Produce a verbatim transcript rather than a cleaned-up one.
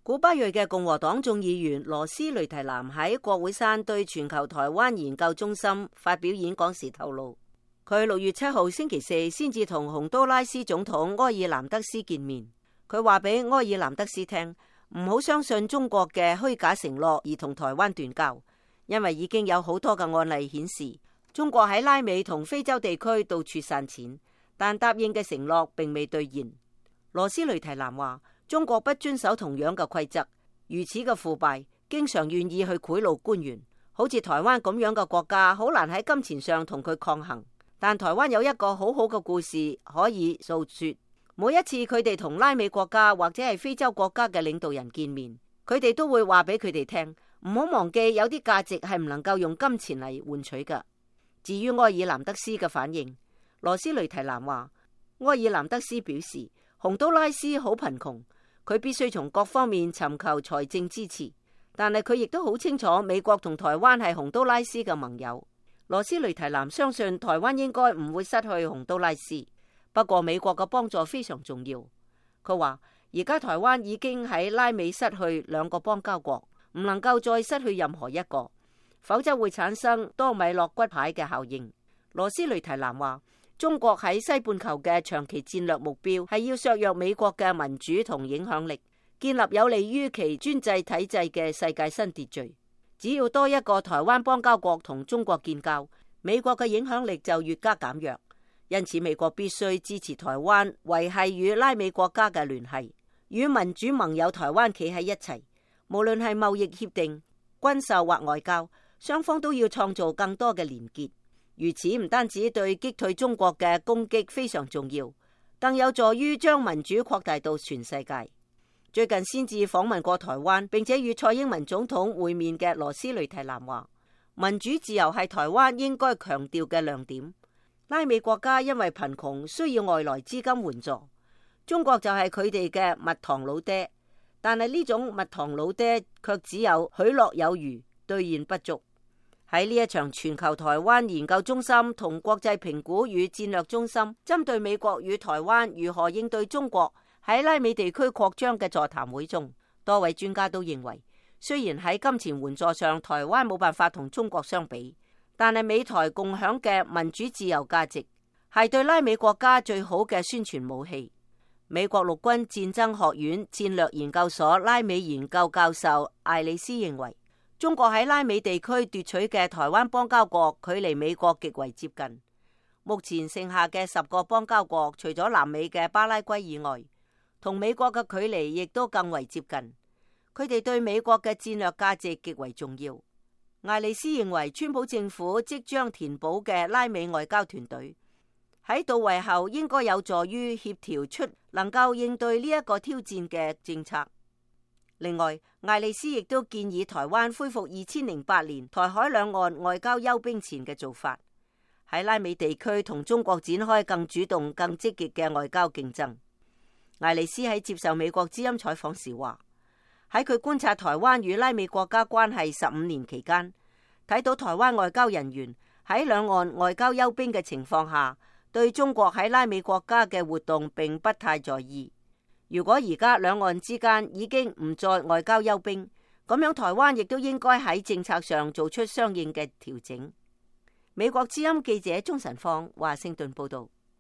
古巴裔嘅共和黨眾議員羅斯雷提南喺國會山對全球台灣研究中心發表演講時透露，佢六月七號星期四先至同洪都拉斯總統埃爾南德斯見面。佢話俾埃爾南德斯聽，唔好相信中國嘅虛假承諾而同台灣斷交，因為已經有好多嘅案例顯示，中國喺拉美同非洲地區到處散錢，但答應嘅承諾並未兌現。羅斯雷提南話，中國不遵守同樣嘅規則，如此嘅腐敗，經常願意去賄賂官員，好似台灣咁樣嘅國家，好難喺金錢上同佢抗衡。但台灣有一個好好嘅故事可以訴說。每一次佢哋同拉美國家或者係非洲國家嘅領導人見面，佢哋都會話俾佢哋聽，唔好忘記有啲價值係唔能夠用金錢嚟換取㗎。至於埃爾南德斯嘅反應，羅斯雷提南話，埃爾南德斯表示，洪都拉斯好貧窮，佢必須從各方面尋求財政支持，但係佢亦都好清楚美國同台灣係洪都拉斯嘅盟友。羅斯雷提南相信台灣應該唔會失去洪都拉斯。不過美國嘅幫助非常重要。佢話而家台灣已經喺拉美失去兩個邦交國，唔能夠再失去任何一個，否則會產生多米諾骨牌嘅效應。羅斯雷提南話，中國喺西半球嘅長期戰略目標係要削弱美國嘅民主同影響力，建立有利於其專制體制嘅世界新秩序。只要多一個台灣邦交國同中國建交，美國嘅影響力就越加減弱。因此，美國必須支持台灣維繫與拉美國家嘅聯繫，與民主盟友台灣企喺一齊。無論係貿易協定、軍售或外交，雙方都要創造更多嘅連結。如此唔單止對擊退中國嘅攻擊非常重要，更有助於將民主擴大到全世界。最近先至訪問過台灣，並且與蔡英文總統會面嘅羅斯雷提南話，民主自由係台灣應該強調嘅亮點。拉美國家因為貧窮需要外來資金援助，中國就係佢哋嘅蜜糖老爹，但係呢種蜜糖老爹卻只有許諾有餘，兌現不足。喺呢一場全球台灣研究中心同國際評估與戰略中心針對美國與台灣如何應對中國喺拉美地區擴張嘅座談會中，多位專家都認為，雖然喺金錢援助上台灣冇辦法同中國相比，但係美台共享嘅民主自由價值係對拉美國家最好嘅宣傳武器。美國陸軍戰爭學院戰略研究所拉美研究教授艾利斯認為，中國喺拉美地區奪取嘅台灣邦交國距離美國極為接近。目前剩下嘅十個邦交國，除咗南美嘅巴拉圭以外，同美國嘅距離亦都更為接近。佢哋對美國嘅戰略價值極為重要。艾利斯認為，川普政府即將填補嘅拉美外交團隊喺到位後，應該有助於協調出能夠應對呢一個挑戰嘅政策。另外，艾利斯亦都建議台灣恢復二千零八年台海兩岸外交休兵前嘅做法，喺拉美地區同中國展開更主動、更積極嘅外交競爭。艾利斯喺接受美國之音採訪時話，喺佢觀察台灣與拉美國家關係十五年期間，睇到台灣外交人員喺兩岸外交休兵嘅情況下，對中國喺拉美國家嘅活動並不太在意。如果而家兩岸之間已經唔再外交休兵，咁樣台灣亦都應該喺政策上做出相應嘅調整。美國之音記者鍾晨芳華盛頓報道。